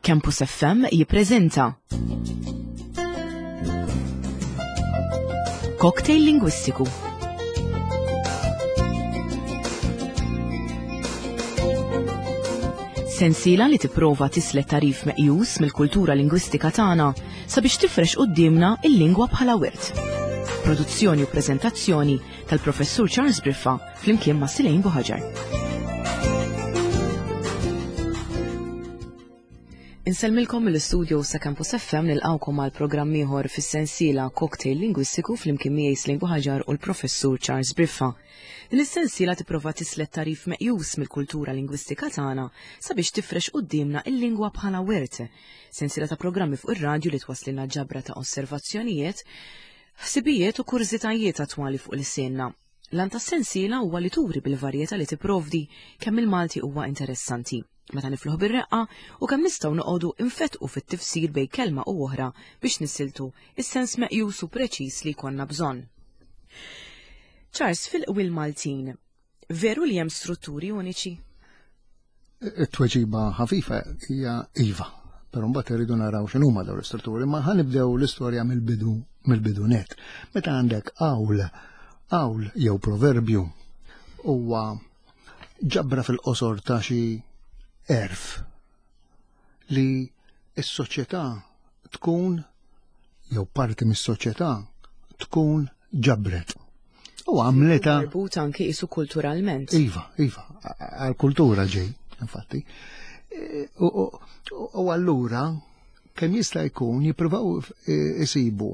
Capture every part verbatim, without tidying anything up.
Campus F M jippreżenta Cocktail Lingwistiku. Sensiela li tipprova tislet tarif meqjus mill-kultura lingwistika tagħna sabiex tifrex quddiemna il-lingwa bħala wirt. Produzzjoni u preżentazzjoni tal-Professur Charles Briffa flimkien ma' Silejn Buħaġar. Insellmilkom mill-istudio sa' Campus F M nilqawkom għal programm ieħor fis-sensiela Cocktail Lingwistiku flimkien miegħi Silejn Buħaġar u l-Professur Charles Briffa. Din is-sensiela tipprova tislet tarif meqjus mill-kultura lingwistika tagħna sabiex tifrex quddiemna il-lingwa bħala wirt. Sensiela ta' programmi fuq ir-radju li twaslilna ġabra ta' osservazzjonijiet, ħsibijiet u kurżitajiet attwali fuq l-sienna. L-għan tas-sensiela huwa li turi bil-varjetà li tipprovdi kemm il-Malti huwa interessanti. Meta nifluħ bir-reqqa u kemm nistgħu noqogħdu infetqu fit-tifsir bejn kelma u oħra biex nisiltu is-sens meqjus u preċiż li jkollna bżonn. Charles, fil-qwiel Maltin, veru li hemm strutturi uniċi? It-tweġiba ħafifa hija iva, però mbagħad irridu naraw x'inhuma dawn l-istrutturi, ma ħanibdew l-istorja mill-bidu mill-bidu net. Meta għandek qawl, qawl jew proverbju huwa ġabra fil-qosor ta' xi erf li s-soċjetà tkun jew parti mis-soċjetà tkun ġabret. U għamleta marbut anki isu kulturalment. Iva, iva, għal-kultura ġej, infatti. U allura kemm jista' jkun jippruvaw isibu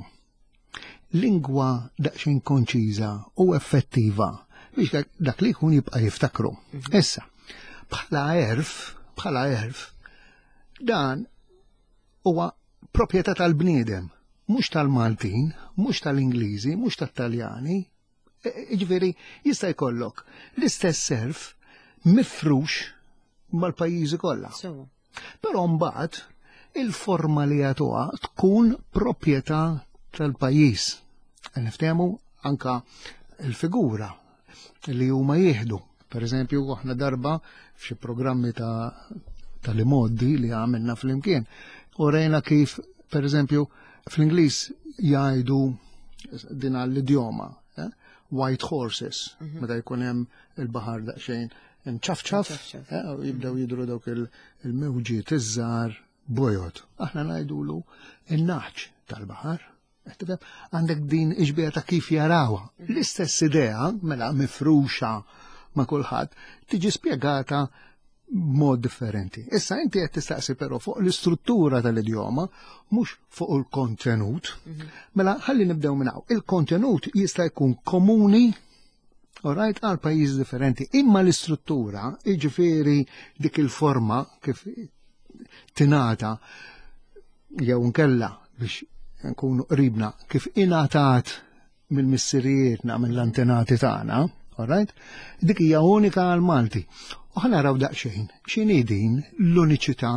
lingwa daqsxejn konċiża u effettiva biex dak li jkun jibqa' jiftakru. Issa, bħala erf, bħala erf, dan huwa proprjetà tal-bniedem, mhux tal-Maltin, mhux tal-Ingliżi, mhux tat-Taljani. Jiġifieri jista' jkollok l-istess erf mifrux mal-pajjiżi kollha. Però mbagħad il-forma li jagħtuha tkun proprjetà tal-pajjiż. Niftehmu anka l-figura li huma jieħdu. Per eżempju, aħna darba f'xi programmi ta' tal-imoddi li għamilna fl-imkien, u rejna kif, per eżempju, fl-Ingliż jgħidu din għall-idjoma, eh? White horses, mm-hmm. meta jkun hemm il-baħar daqsxejn imċafċaf, eh? U jibdew jidru dawk il-mewġiet iż-żgħar bojod. Aħna ngħidulu in-naħġ tal-baħar. Għandek din iġbija ta' kif jarawha. L-istess idea, mela mifruxa ma' kulħadd, tiġi spjegata b'mod differenti. Issa inti qed tistaqsi però fuq l-istruttura tal-idjoma, mhux fuq il-kontenut. Mela ħalli nibdew minn hawn. Il-kontenut jista' jkun komuni, alright, għal pajjiż differenti, imma l-istruttura, jiġifieri dik il-forma kif tingħata jew nkella biex nkunu qribna kif ingħatat mill-missirijietna, mill-antenati tagħna, alright? Dik hija unika għal Malti. U ħa naraw daqsxejn x'inhi din l-uniċità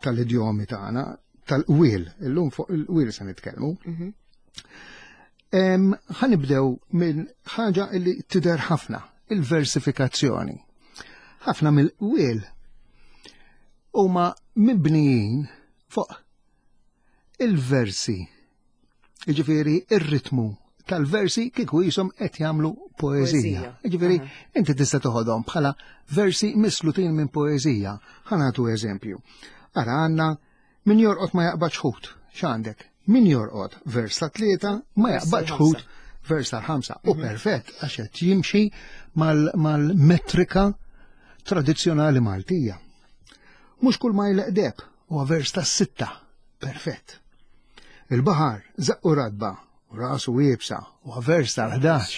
tal-idjomi tagħna, tal-qwiel, illum fuq il-qwiel se nitkellmu. Ħa nibdew minn ħaġa li tidher ħafna, il-versifikazzjoni. Ħafna mill-qwiel huma mibnijin fuq il-versi, jiġifieri ir-ritmu tal-versi kieku jisom qed jagħmlu poeżija. Jiġifieri inti tista' toħodhom bħala versi mislutin minn poeżija. Ħa nagħtu eżempju. Ara għandna min jorqod ma jaqbadx ħut. X'għandek? Min jorqod vers ta' tlieta ma jaqbadx ħut vers tal-ħamsa. U perfett għax qed jimxi mal-metrika tradizzjonali Maltija. Mhux kull ma jleqdeb huwa vers tas-sitta. Perfett. Il-baħar żaqqu radba u rasu iebsa u vers tal-ħdax.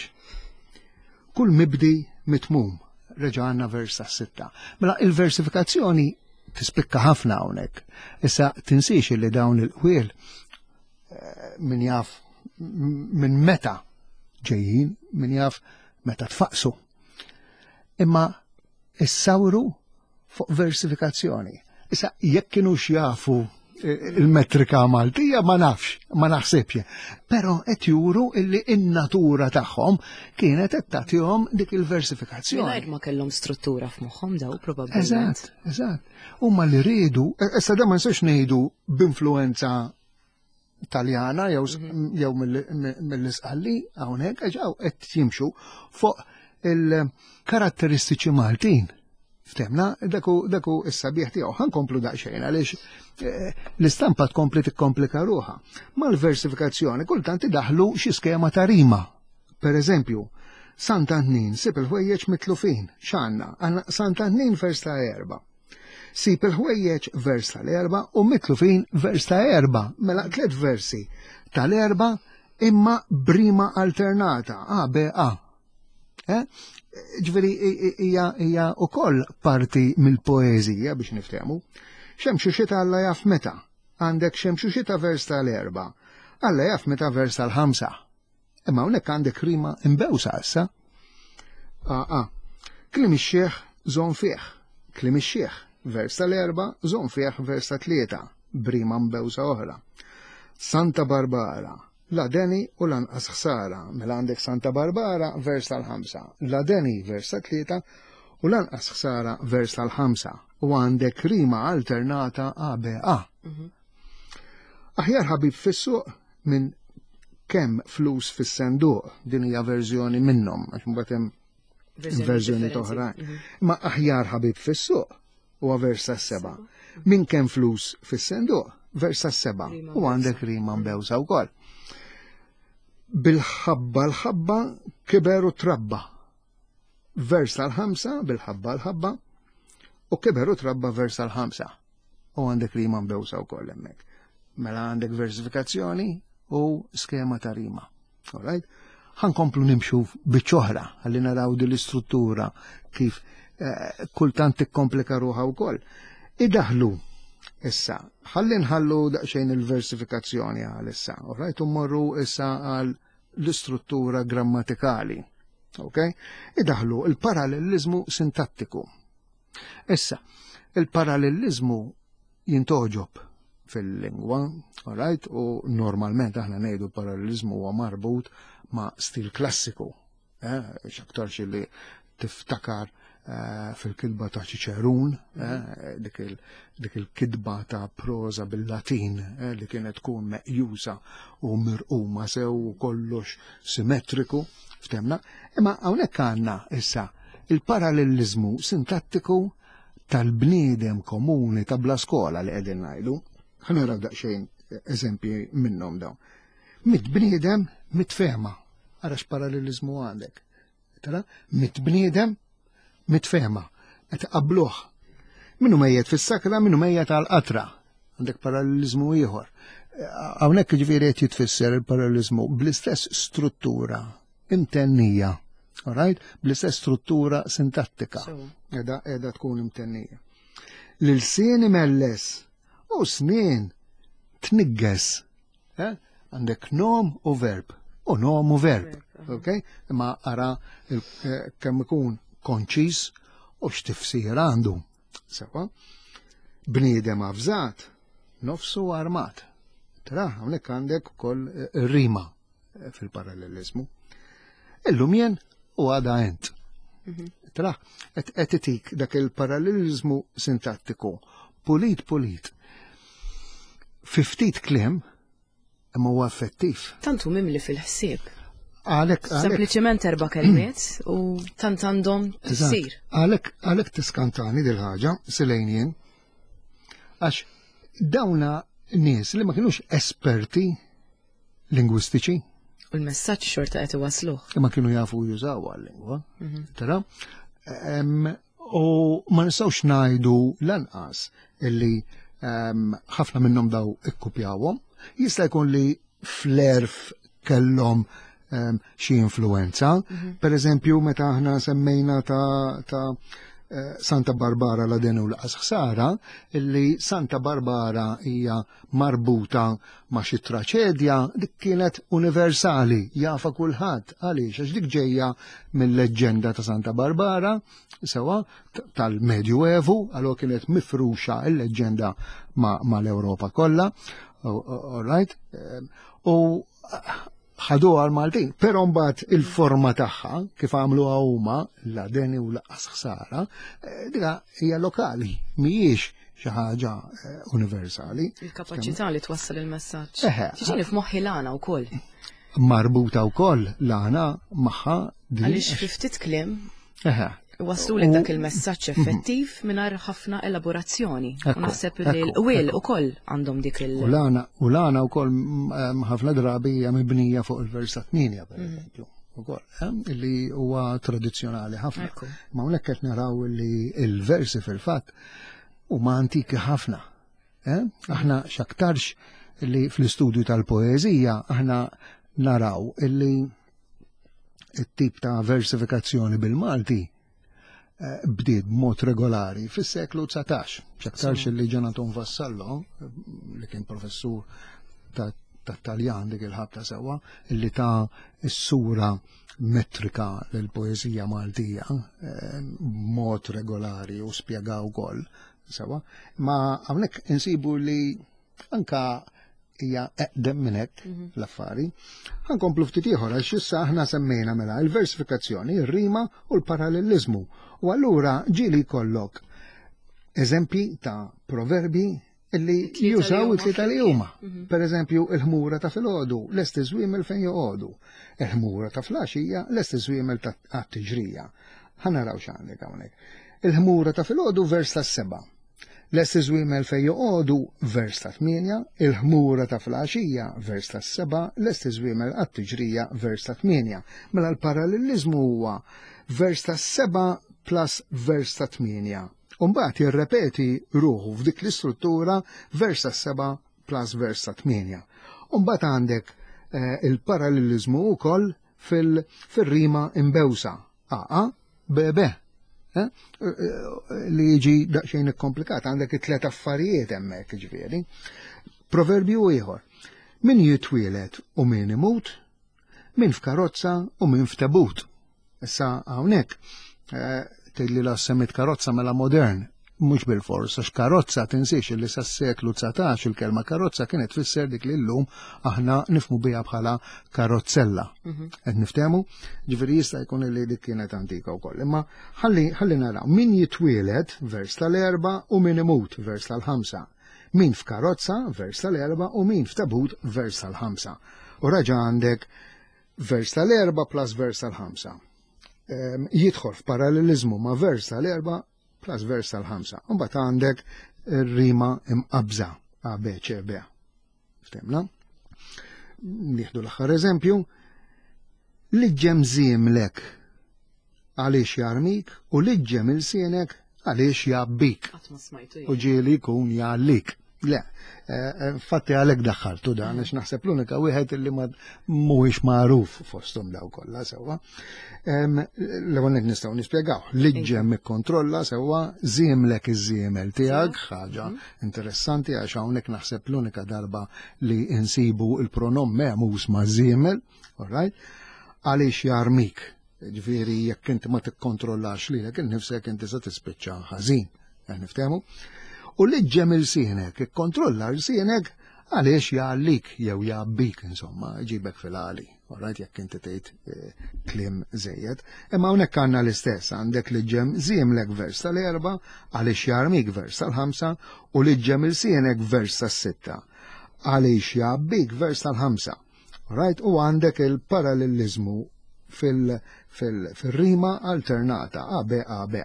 Kull mibdi mitmum, reġa' għandna vers tas-sitta. Mela il-versifikazzjoni tispikka ħafna hawnhekk. Issa tinsiex li dawn il-qwiel min jaf minn meta ġejjin, min jaf meta tfaqsu. Imma issawru fuq versifikazzjoni. Issa jekk kienux jafu il-metrika Maltija, ma nafx, ma naħsibx. Però qed juru illi in-natura tagħhom kienet qed tagħtihom dik il-versifikazzjoni. Mingħajr ma kellhom struttura f'moħħhom daw probabbilment. Eżatt, eżatt. Huma li riedu, issa da ma nistax ngħidu b'influenza Taljana jew jew mill-Isqalli hawnhekk għax hawn qed jimxu fuq il-karatteristiċi Maltin. Ftemna, daku daku is-sabiħ tiegħu. Ħa nkomplu daqsxejn għaliex eh, l-istampa tkompli tikkomplika ruħha. Mal-versifikazzjoni kultant idaħlu xi skema ta' rima. Per eżempju, Sant'Antnin sib il-ħwejjeġ mitlufin. X'għandna? Għandna Sant'Antnin vers ta' erba. Sib il-ħwejjeġ vers tal-erba u mitlufin vers ta' erba. Mela tliet versi tal-erba imma b'rima alternata, A, B, A. Eh? Ġifieri hija hija wkoll parti mill-poeżija biex niftehmu. Xemxu xita Alla jaf meta. Għandek xemxu xita vers tal-erba. Alla jaf meta vers tal-ħamsa. Imma hawnhekk għandek rima imbewsa issa. A, a. Kliem ix-xiħ żomm fih. Kliem ix-xiħ vers tal-erba, żomm fih vers ta' tlieta, b'rima mbewsa oħra. Santa Barbara, la deni u lanqas ħsara. Mela għandek Santa Barbara vers tal-ħamsa, la deni vers ta' tlieta u lanqas ħsara vers tal-ħamsa. U għandek rima alternata A B A. Aħjar ħabib fis-suq minn kemm flus fis-senduq, din hija verżjoni minnhom, għax mbagħad hemm verżjoni differenti. oħrajn. Mhm. Ma aħjar ħabib fis-suq huwa vers tas-seba'. Minn kemm flus fis-senduq, vers tas-seba'. Rima U għandek rima mbewsa wkoll. Bil-ħabba l-ħabba kiber u trabba. Vers tal-ħamsa, bil-ħabba l-ħabba, u kiber u trabba vers tal-ħamsa. U għandek rima mbewsa wkoll hemmhekk. Mela għandek versifikazzjoni u skema ta' rima. All right? Ħa nkomplu nimxu biċ-oħra, ħalli naraw din l-istruttura kif eh, kultant tikkomplika ruħha wkoll. Idaħlu issa, ħalli nħallu daqsxejn il-versifikazzjoni għal issa, all right? U mmorru issa għal l-istruttura grammatikali. Ok? Idaħlu il-parallelizmu sintattiku. Issa, il-parallelizmu jintogħġob fil-lingwa, all right? U normalment aħna ngħidu parallelizmu huwa marbut ma' stil klassiku. Eh? X'aktarx li tiftakar eh, fil-kitba ta' Ċiċerun, eh, dik il- dik il-kitba ta' proza bil-Latin eh, li kienet tkun meqjusa u mirquma sew u kollox simmetriku, ftemna. Imma hawnhekk għandna issa il-parallelizmu sintattiku tal-bniedem komuni ta' bla skola li qegħdin ngħidu. Ħa naraw daqsxejn eżempji minnhom dawn. Mitt bniedem, mitt fehma. Ara x'parallelizmu għandek. Tara, mitt bniedem, mitt fehma. Qed qabluh. Minnu mejjet fis-sakra, minnu mejjet għal-qatra. Għandek parallelizmu ieħor. Hawnhekk ġifieri qed jitfisser il-parallelizmu bl-istess struttura imtennija. All right? Bl-istess struttura sintattika. Sewa. Edha, edha tkun imtennija. L-ilsien imelles u snien tnigges. Eh? Għandek nom u verb. U nom u verb. Verb, aha. Ok? Imma ara il- eh, kemm ikun konċis u x'tifsir għandu. Sewa. Bniedem avżat, nofsu armat. Tra, hawnhekk għandek ukoll eh, rima eh, fil-parallelizmu. Illum jien u għada ent. Tra, qed qed itik dak il-parallelizmu sintattiku. Pulit, pulit. Fi ftit kliem, imma huwa effettiv. Tant hu mimli fil-ħsieb. Għalhekk għalhekk Sempliċement erba' kelmiet u tant għandhom Eżatt. tifsir. Għalhekk għalhekk tiskantani dil-ħaġa, silejn jien. Għax dawna nies li ma kienux esperti lingwistiċi, U l-messaġġ xorta qed iwasluh. imma kienu jafu jużaw għal-lingwa. Tara? Em, U ma nistgħux ngħidu lanqas illi em, ħafna minnhom daw ikkupjawhom. Jista' jkun li fl-għerf kellhom em, xi influenza. Per eżempju, meta aħna semmejna ta', ta Santa Barbara la denu laqas ħsara, illi Santa Barbara hija marbuta ma' xi traċedja, dik kienet universali, jafa kulħadd. Għaliex? Għax dik ġejja mill-leġġenda ta' Santa Barbara, sewa tal-Medju Evu, allura kienet mifruxa il-leġġenda ma' l-Ewropa kollha, all right? U ħadu għal-Maltin, pero mbagħad il-forma tagħha kif għamlu huma la deni u laqas ħsara, dika hija lokali, mhijiex xi ħaġa universali. Il-kapaċità li twassal il-messaġġ. Tiġini f'moħħi l-għana wkoll. Marbuta wkoll l-għana magħha. Għaliex fi ftit kliem waslu li dak il-messaġġ effettiv mingħajr ħafna elaborazzjoni. U naħseb li l-qwiel ukoll għandhom dik il- U l-għana u l-għana wkoll ħafna drabi hija mibnija fuq il-vers ta' tmienja, per eżempju. Ukoll, li huwa tradizzjonali ħafna. Ma hawnhekk qed naraw li il-versi fil-fatt huma antiki ħafna. Aħna x'aktarx li fl-istudju tal-poeżija aħna naraw illi it-tip ta' versifikazzjoni bil-Malti bdiet b'mod regolari fis-seklu dsatax. X'aktarx li Jonathan Vassallo, li kien professur ta' Taljan dik il-ħabta sewwa, illi ta s-sura metrika l-poeżija Maltija b'mod regolari u spjegaw ukoll sewwa. Ma hawnhekk insibu li anka hija eqdem minn hekk l-affari. Ħa nkomplu ftit ieħor għax issa aħna semmejna mela il-versifikazzjoni, ir-rima u l-parallelizmu. U allura ġieli jkollok eżempji ta' proverbi illi jużaw it-tlieta li huma. Per eżempju, il-ħmura ta' filgħodu, lesti żwiemel fejn joqogħdu. Il-ħmura ta' filgħaxija, lesti żwiemel ta' tiġrija. Ħa naraw x'għandek hawnhekk. Il-ħmura ta' filgħodu, vers ta' seba'. Lesti żwiemel fejn joqogħdu, vers ta' tmienja, il-ħmura ta' filgħaxija, vers ta' seba', lesti żwiemel għat-tiġrija, vers ta' tmienja. Mela l-parallelizmu huwa vers ta' seba' plus vers ta' tmienja. Umbagħad jirrepeti ruħu f'dik l-istruttura vers ta' seba' plus vers ta' tmienja. Umbagħad għandek eh, il-parallelizmu wkoll fil-rima imbewsa. A, A, B, B. Eh? Li jiġi daqsxejn ikkomplikat, għandek it-tlet affarijiet hemmhekk ġifieri. Proverbju ieħor. Min jitwielet u min imut, min f'karozza u min f'tabut. Issa hawnhekk eh, tgħidli la semmit karozza mela modern, mhux bil-fors, għax karozza tinsiex li sas-seklu dsatax il-kelma karozza kienet tfisser dik li llum aħna nifhmu biha bħala karozzella. Qed niftehmu? Ġifieri jista' jkun li dik kienet antika wkoll. Imma ħalli ħalli naraw min jitwielet, vers tal-erba', u min imut, vers tal-ħamsa. Min f'karozza, vers tal-erba', u min f'tabut, vers tal-ħamsa. U raġa għandek vers tal-erba' plus vers tal-ħamsa. Jidħol f'parallelizmu ma' vers tal-erba' plus vers tal-ħamsa. Mbagħad għandek rima imqabża A, B, C, B. Ftehmna? Nieħdu l-aħħar eżempju. Liġġem żiemlek għaliex jarmik u liġġem ilsienek għaliex jgħabbik. U ġieli jkun jgħallik. Le, fatti għalek daħħaltu dan, għax naħseb l-unika wieħed li ma mhuwiex magħruf fosthom daw kollha sewwa. L-ewwel nett nistgħu nispjegaw. Liġġem ikkontrolla sewwa, żiemlek iż-żiemel tiegħek, ħaġa interessanti għax hawnhekk naħseb l-unika darba li insibu il-pronom mehmuż ma' żiemel, all right? Għaliex jarmik. Ġifieri jekk inti ma tikkontrollax lilek innifsek inti se tispiċċa ħażin. Niftehmu? U liġġem ilsienek, ikkontrolla l-sienek għaliex jgħallik jew jgħabbik, insomma, ġibek fil-għali. Alright, jekk inti tgħid kliem żejjed. Imma hawnhekk għandna l-istess, għandek liġġem żiemlek vers tal-erba', għaliex jarmik vers tal-ħamsa, u liġġem ilsienek vers tas-sitta. Għaliex jgħabbik vers tal-ħamsa. Alright, u għandek il-parallelizmu fil-rima alternata A, B, A, B.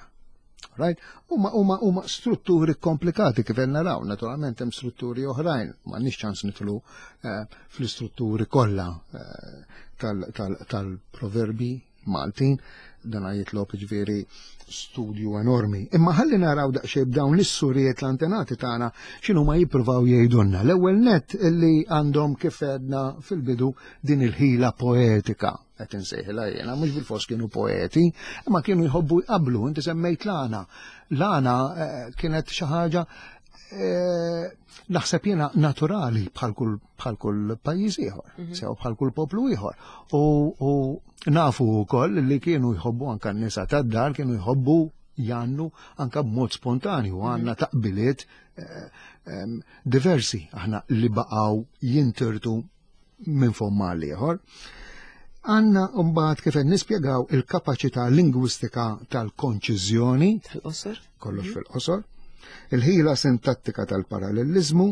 Right? Huma huma huma strutturi komplikati kif qed naraw, naturalment hemm strutturi oħrajn, m'għandniex ċans nidħlu eh, fl-istrutturi kollha eh, tal-proverbi Maltin, dan jitlob ġifieri studju enormi. Imma ħalli naraw daqsxejn b'dawn l-issurijiet l-antenati tagħna x'inhu ma jippruvaw jgħidulna. L-ewwel net illi għandhom, kif għedna fil-bidu, din il-ħila poetika. qed insejħilha jiena, mhux bil-fors kienu poeti, imma kienu jħobbu jqablu, inti semmejt l-għana. L-għana eh, kienet xi ħaġa eh, naħseb jiena naturali bħal kull bħal kull pajjiż ieħor, mhm. sew bħal kull poplu ieħor. U nafu wkoll li kienu jħobbu anka n-nisa tad-dar kienu jħobbu jannu anka b'mod spontanju għandna mhm. taqbiliet eh, diversi aħna li baqgħu jintirtu minn fomm għal ieħor. Għanna mbagħad kif qed nispjegaw il-kapaċità lingwistika tal-konċiżjoni. Tal-qosor. Kollox mhm. fil-qosor. Il-ħila sintattika tal-parallelizmu,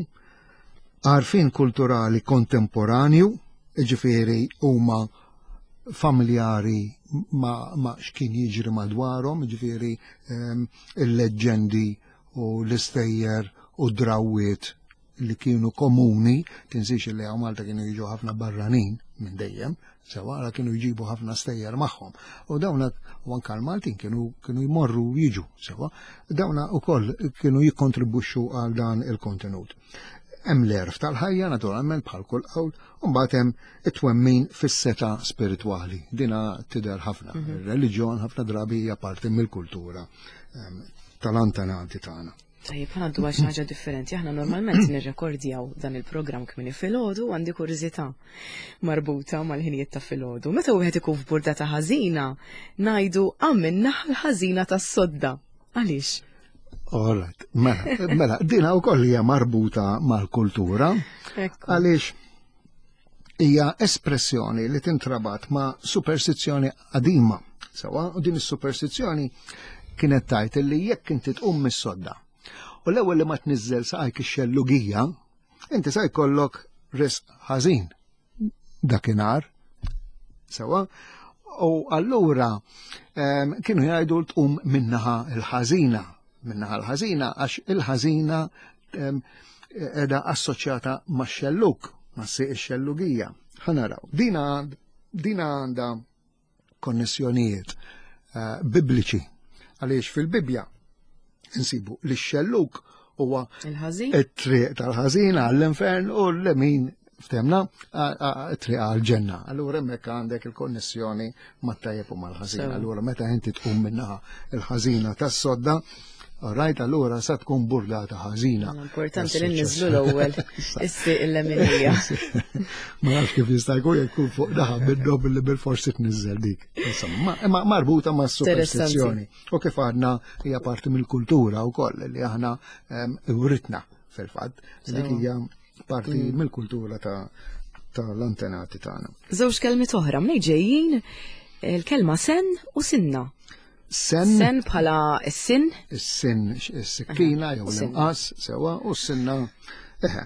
għarfien kulturali kontemporanju, ġifieri huma familjari ma, ma x'kien jiġri madwarhom, ġifieri ehm, il-leġġendi u l-istejjer u drawwiet li kienu komuni, tinsiex li hawn Malta kienu jiġu ħafna barranin minn dejjem, sewa għala kienu jġibu ħafna stejjer magħhom. U dawna u anka l-Maltin kienu kienu jmorru jiġu, sewa, dawna wkoll kienu jikkontribwixxu għal dan il-kontenut. Hemm l-erf tal-ħajja naturalment bħal kull qawl, u mbagħad hemm it-twemmin fis-seta spiritwali. Dina tidher ħafna. Mhm. Ir-reliġjon ħafna drabi hija parti mill-kultura ehm, tal-antenati tagħna. Tajjeb, ħa ngħaddu għal xi ħaġa differenti. Aħna normalment nirrekordjaw dan il-programm kmieni filgħodu għandi kurżità marbuta mal-ħinijiet ta' filgħodu. Meta wieħed ikun f'burdata ħażina, ngħidu qam min-naħa l-ħażina tas-sodda. Għaliex? All right, mela, mela, dina wkoll hija marbuta mal-kultura. Għaliex hija espressjoni li tintrabat ma' superstizzjoni qadima. Sewa, u din is-superstizzjoni kienet tajt li jekk inti tqum mis-sodda u l-ewwel li ma tniżżel saqajk ix-xellugija, inti sa jkollok risq ħażin dakinhar. Sewa, u allura ehm, kienu jgħidu tqum minnaħa il-ħażina, minnaħa l-ħażina għax il-ħażina ehm, edha assoċjata ma' xelluk, ma' sieq ix-xellugija. Ħa naraw. Dina dina għandha konnessjonijiet eh, bibliċi għaliex fil-Bibbja insibu li x-xelluk huwa it-triq tal-ħażin għall-infern u l-lemin ftemna triq għal-ġenna. Allura hemmhekk għandek il-konnessjoni mat-tajjeb u mal-ħażin. Allura meta inti tqum minnaħa il-ħażina tas-sodda, Rajt allura sa tkun burdata ħażina. Importanti li nniżlu l-ewwel issi il-leminija. Ma nafx kif jista' jkun jekk fuq daħ minnhom billi bil-forsi tniżżel dik. Insomma, ma marbuta ma' superstizzjoni. U kif għadna hija parti mill-kultura wkoll li aħna writna fil-fatt. Dik hija parti mm. mill-kultura ta' tal-antenati tagħna. Żewġ kelmiet oħra mnej ġejjin il-kelma sen u sinna. Sen. Sen bħala s-sin. Is-sin, is-sikkina jew l-inqas, sewa, u s-sinna. Eħe.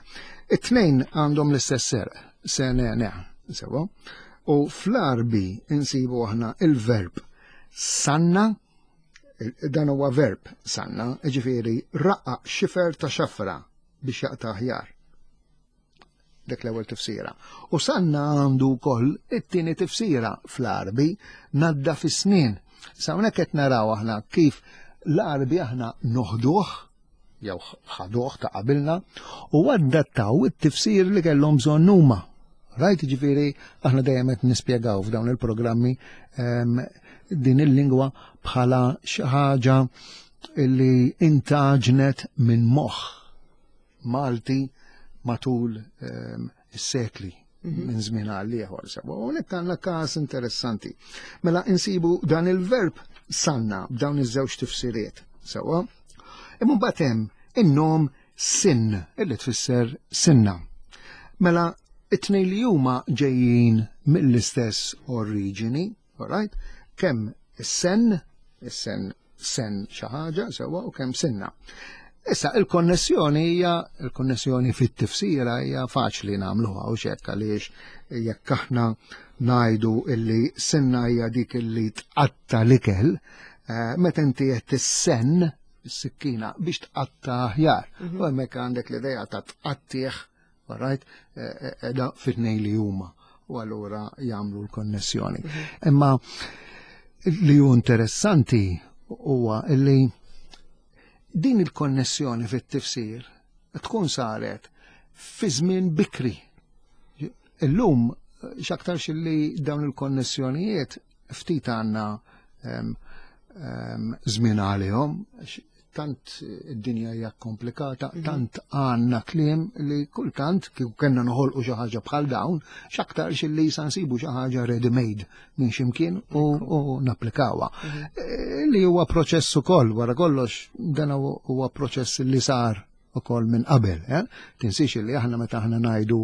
It-tnejn għandhom l-istess serq, sen ne, sewa. U fl-Arbi insibu aħna il-verb sanna, dan huwa verb sanna, ġifieri raqqa xifer ta' xafra biex jaqta' aħjar. Dik l-ewwel tifsira. U sanna għandu wkoll it-tieni tifsira fl-Arbi nadda fis-snien. Sa hawnhekk qed naraw aħna kif l-Arbi aħna noħduh jew ħaduh ta' qabilna u adattaw it-tifsir li kellhom bżonn huma. Rajt ġifieri aħna dejjem qed nispjegaw f'dawn il-programmi ehm, din il-lingwa bħala xi ħaġa li intaġnet minn moħħ Malti matul ehm, is-sekli mhm. minn żmien għal ieħor sewa. U hawnhekk għandna każ interessanti. Mela insibu dan il-verb sanna b'dawn iż-żewġ tifsiriet sewa. Imma mbagħad hemm in-nom sin illi tfisser sinna. Mela it-tnejn li huma ġejjin mill-istess oriġini, alright? Kemm is-sen, is-sen sen xi ħaġa sewwa u kemm sinna. Issa il-konnessjoni hija il-konnessjoni fit-tifsira hija faċli nagħmluha u xekk għaliex jekk aħna ngħidu illi sinna hija dik illi tqatta l-ikel, eh, meta inti qed tissenn is-sikkina biex tqatta aħjar. Mhm. U hemmhekk għandek l-idea ta' tqattih, right, eh, eh, da fit-tnejn li huma u allura jagħmlu l-konnessjoni. Mhm. Imma li hu interessanti huwa li din il-konnessjoni fit-tifsir tkun saret fi żmien bikri. Illum X'aktarx li dawn il-konnessjonijiet ftit għandna żmien għalihom, tant id-dinja hija komplikata, mhm. tant għandna kliem li kultant kieku kellna noħolqu xi ħaġa bħal dawn, x'aktarx li sa nsibu xi ħaġa ready made minn x'imkien u, u napplikawha. Mhm. E, li huwa proċess ukoll, wara kollox dan huwa proċess li sar ukoll minn qabel. Eh? Tinsiex li aħna meta aħna ngħidu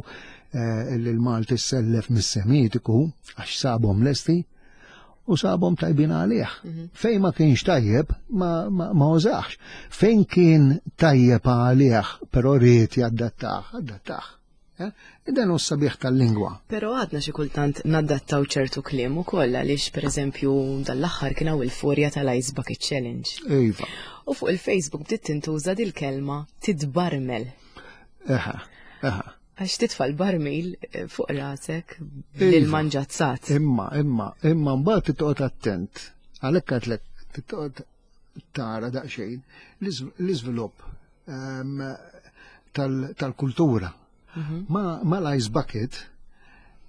eh, li l-Malti sellef mis-Semitiku għax sabhom lesti, u sabhom tajbin għalih. Mhm. Fejn ma kienx tajjeb, ma, ma, ma użax. Fejn kien tajjeb għalih, però ried jaddattah, addattah. Eh? Dan hu sabiħ tal-lingwa. Però għadna xi kultant naddattaw ċertu kliem ukoll għaliex, pereżempju, dal-aħħar kien hawn il-furja tal-Ice Bucket Challenge. Iva. U fuq il-Facebook bdiet tintuża dil-kelma "tidbarmel". Eħa, eħa. Għax titfa' l-barmil eh, fuq rasek bil-manġazzat. Imma, imma, imma mbagħad titqgħod attent. Għalhekk għedtlek titqgħod tara daqsxejn l-iżvilupp ehm, tal-kultura. Mhm. Ma l-ice bucket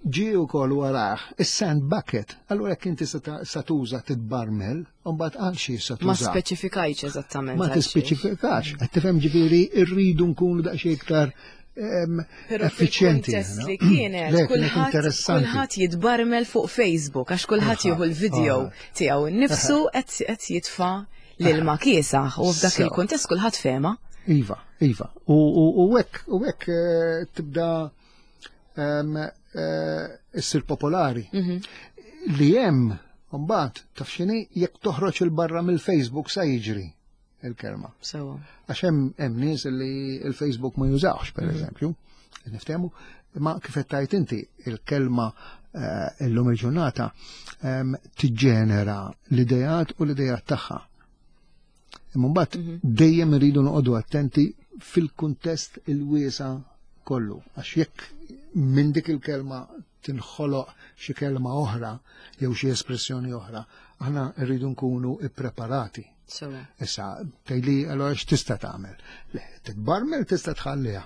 ġie wkoll warah is-sand bucket. Allura jekk inti sa tuża "tidbarmel", u mbagħad għal xi sa tuża. Ma speċifikajx eżattament. Ma tispeċifikax. Qed tifhem, ġifieri rridu nkunu daqsxejn iktar effiċjenti. Li kienet, kulħadd jitbarmel fuq Facebook għax kulħadd jieħu l-video tiegħu nnifsu qed jitfa' l-ilma kiesaħ u f'dak il-kuntest kulħadd fehma. Iva, iva. U hekk u hekk eh, tibda eh, issir popolari. Mhm. Li hemm mbagħad, taf x'inhi, jekk toħroġ il-barra mill-Facebook sa jiġri il-kelma. Sewa. Għax hemm hemm nies li il-Facebook ma jużawx, per mhm. eżempju, niftehmu, ma kif qed tgħid inti, il-kelma eh, illum il-ġurnata tiġġenera l-idejat u l-idejat tagħha. Imma mbagħad mhm. dejjem iridu noqogħdu attenti fil-kuntest il-wiesa kollu. Għax jekk minn dik il-kelma tinħoloq xi kelma oħra jew xi espressjoni oħra, aħna rridu nkunu ippreparati. Issa, tgħidli, allora x'tista' tagħmel? Le, titbarmel tista' tħalliha.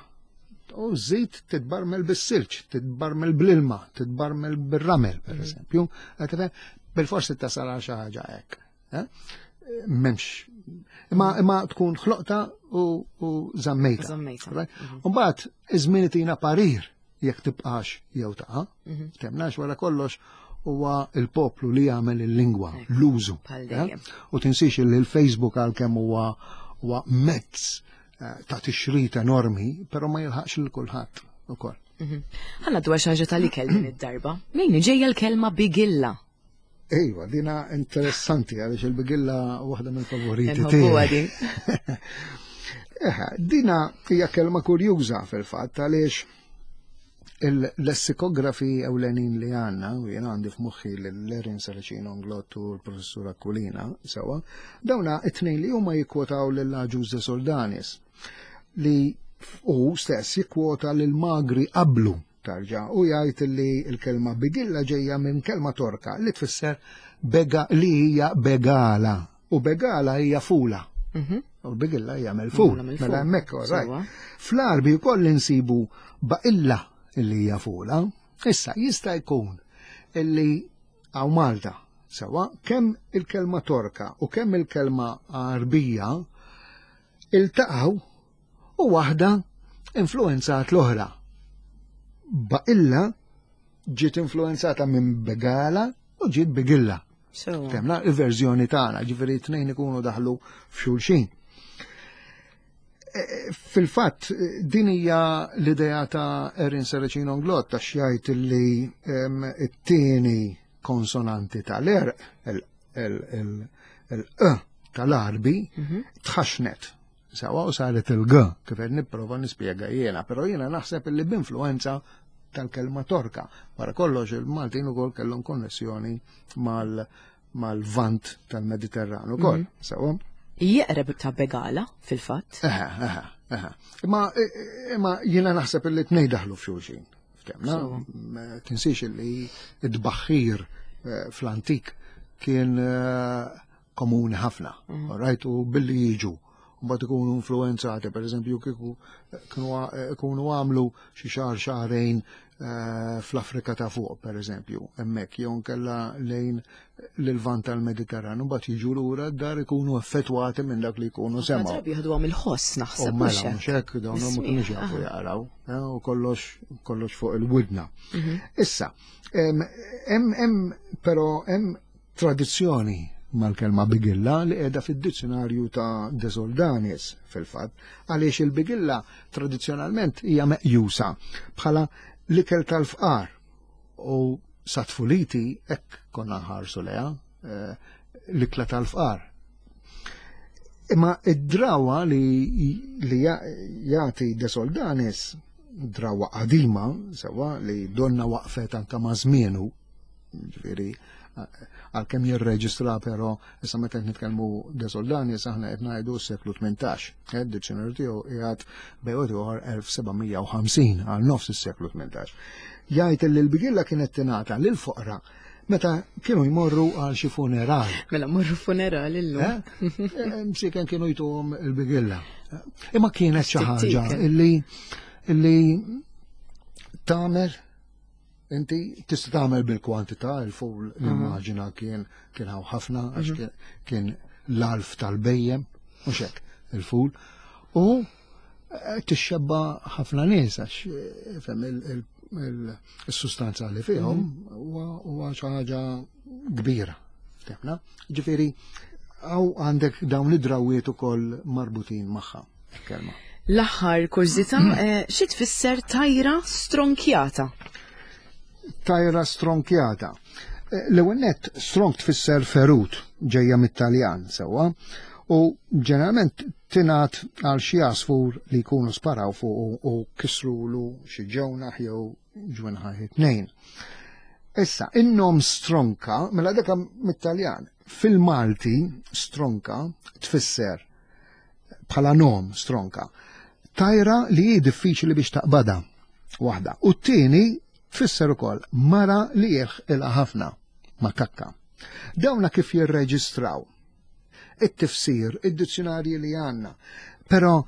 U żid titbarmel bis-silġ, titbarmel bl-ilma, titbarmel bir-ramel, per mhm. eżempju. Bil-forsi tasal għal xi ħaġa hekk. Eh? M'hemmx. Imma imma tkun ħloqta u, u żammejta. Żammejta. Right? Mbagħad iż-żmien itina parir jekk tibqax jew taqa'. Mhm. Temnax, wara kollox huwa il-poplu li jagħmel il-lingwa, l-użu. Bħal eh? dejjem. U tinsix li l-Facebook, għalkemm huwa huwa mezz eh, ta' tixrid enormi, però ma jilħaqx lil kulħadd ukoll. Mhm. Ħa ngħaddu għal xi ħaġa tal-ikel din id-darba. Min ġejja l-kelma "bigilla"? Ejwa, dina interessanti għaliex il-bigilla waħda mill-favoriti Nħobbuha tiegħi. din. Eħe, dina hija kelma kurjuża fil-fatt għaliex il-lessikografi ewlenin li għandna, u jien għandi f'moħħi l-Erin Saracino Englot u l-professur Aquilina, sewa, dawna it-tnejn li huma jikkwotaw lil Agius de Soldanis li u stess jikkwota lil Magri qablu tarġa u jgħid li l-kelma "bigilla" ġejja minn kelma Torka li tfisser bega, li hija begala, u begala hija fula. Mhm. U l-bigilla hija mill-ful. Mela mill-ful. Mela hemmhekk, all right. Sewa. Fl-Arbi wkoll insibu baqilla illi hija fula. Issa jista' jkun illi hawn Malta sewa kemm il-kelma Torka u kemm il-kelma Arbija iltaqgħu u waħda influenzat l-oħra. Baqilla ġiet influenzata minn begala u ġiet bigilla. Sewa. Temna il-verżjoni tagħna, ġifieri tnejn ikunu daħlu f'xulxin. E, Fil-fatt, din hija l-idea ta' Erin Saracino Englot ta' xjajt li em, it-tieni konsonanti tal-erq, il-e tal-Arbi, Mhm. tħaxnet. Sawa u saret il-G, kif qed nipprova nispjega jiena, però jiena naħseb li b'influenza tal-kelma Torka. Wara kollox il-Maltin ukoll kellhom konnessjoni mal mal-vant tal-Mediterranu ukoll. Sawa? Jeqreb ta' begala, fil-fatt. Eħe, eħe, eħe. Imma imma jiena naħseb li tnejn daħlu f'xulxin. Ftemna? Sewa. Ma tinsiex li id-baħħir eh, fl-antik kien eh, komuni ħafna. Mhm. All right, u billi jiġu Mbagħad ikunu influenzati, per eżempju, kieku kienu għamlu xi xahar xahrejn eh, fl-Afrika ta' fuq, per eżempju, hemmhekk jew nkella lejn l-Lvant tal-Mediterran, mbagħad jiġu lura d-dar ikunu effettwati minn dak li jkunu semgħu. Drabi jieħdu għam il-ħoss naħseb. Mela, mhux hekk dawn ma kinux jafu jaqraw, eh, u kollox kollox fuq il-widna. Mhm. Issa, hemm però hemm tradizzjoni mal-kelma bigilla li qiegħda fid-dizzjonarju ta' De Soldanis fil-fatt, għaliex il-bigilla tradizzjonalment hija meqjusa bħala l-ikel tal-fqar u sa tfuliti hekk konna nħarsu leha eh, l-ikla tal-fqar. Imma id-drawa li, li jagħti De Soldanis, drawa qadima, sewa li donna waqfet anka ma' żmienu, ġifieri għalkemm jirreġistra però issa meta qed nitkellmu De Soldanis aħna qed ngħidu s-seklu tmintax. Eh, id-dizzjonarju tiegħu qiegħed bejn ieħor elf seba' mija u ħamsin għal nofs is-seklu tmintax. Jgħid li l-bigilla kienet tingħata lil foqra meta kienu jmorru għal xi funeral. Mela morru funeral illum. Eh? Eh, msiken kienu jtuhom il-bigilla. Imma kienet xi ħaġa illi illi tagħmel inti tista' tagħmel bil-kwantità, il-ful nimmaġina kien kien hawn ħafna għax mhm. kien l-alf tal-bejjem, mhux hekk il-ful. U eh, tixxebba ħafna nies għax eh, fem il-sustanza li fihom mhm. huwa xi ħaġa kbira. Ftemna? Ġifieri hawn għandek dawn id-drawiet ukoll marbutin magħha kelma. L-aħħar kurżità, eh, xi tfisser tajra stronkjata? Tajra stronkjata. L-ewwel nett stronk tfisser ferut, ġejja mit-Taljan sewwa, u ġeneralment tingħad għal xi għasfur li jkunu sparaw fuq u kisrulu xi ġewnaħ jew ġwenħaj tnejn. Issa, in-nom stronka, mela dak mit-Taljan, fil-Malti stronka tfisser bħala nom stronka, tajra li hi diffiċli biex taqbadha waħda. U t-tieni tfisser ukoll mara li jilħqilha ħafna ma' kakka. Dawna kif jirreġistraw it-tifsir, id-dizzjonarji li għandna. Però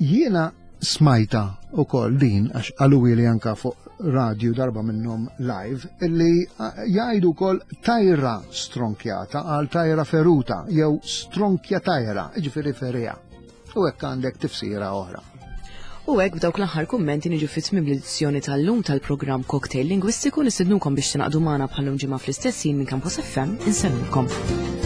jiena smajta ukoll din, għax qaluwi li anka fuq radju darba minnhom live, illi jgħidu wkoll tajra stronkjata għal tajra feruta jew stronkja tajra, jiġifieri ferija. U hekk għandek tifsira oħra. U hekk b'dawk l-aħħar kummenti niġu fi tmiem l-edizzjoni tal-lum tal-programm Cocktail Lingwistiku. Nistednukom biex tingħaqdu magħna bħal-lum ġimgħa fl-istess ħin minn Campus F M. Insellmilkom.